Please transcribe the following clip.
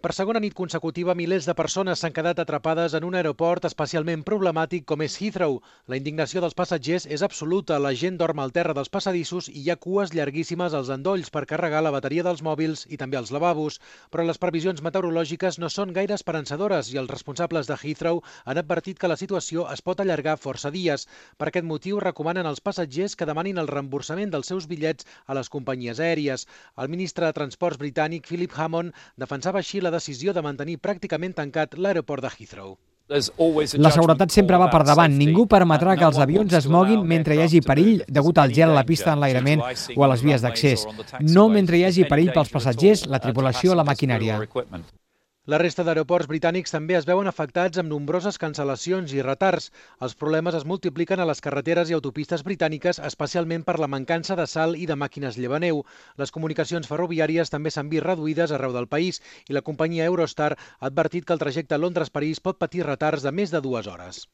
Per segona nit consecutiva, milers de persones s'han quedat atrapades en un aeroport especialment problemàtic com és Heathrow. La indignació dels passatgers és absoluta. La gent dorm al terra dels passadissos i hi ha cues llarguíssimes als endolls per carregar la bateria dels mòbils i també als lavabos. Però les previsions meteorològiques no són gaire esperançadores i els responsables de Heathrow han advertit que la situació es pot allargar força dies. Per aquest motiu, recomanen als passatgers que demanin el reemborsament dels seus bitllets a les companyies aèries. El ministre de Transports britànic, Philip Hammond, defensava així la decisió de mantenir pràcticament tancat l'aeroport de Heathrow. La seguretat sempre va per davant. Ningú permetrà que els avions es moguin mentre hi hagi perill degut al gel a la pista d'enlairament o a les vies d'accés. No mentre hi hagi perill pels passatgers, la tripulació o la maquinària. La resta d'aeroports britànics també es veuen afectats amb nombroses cancel·lacions i retards. Els problemes es multipliquen a les carreteres i autopistes britàniques, especialment per la mancança de sal i de màquines llevaneu. Les comunicacions ferroviàries també s'han vist reduïdes arreu del país i la companyia Eurostar ha advertit que el trajecte Londres-París pot patir retards de més de 2 hores.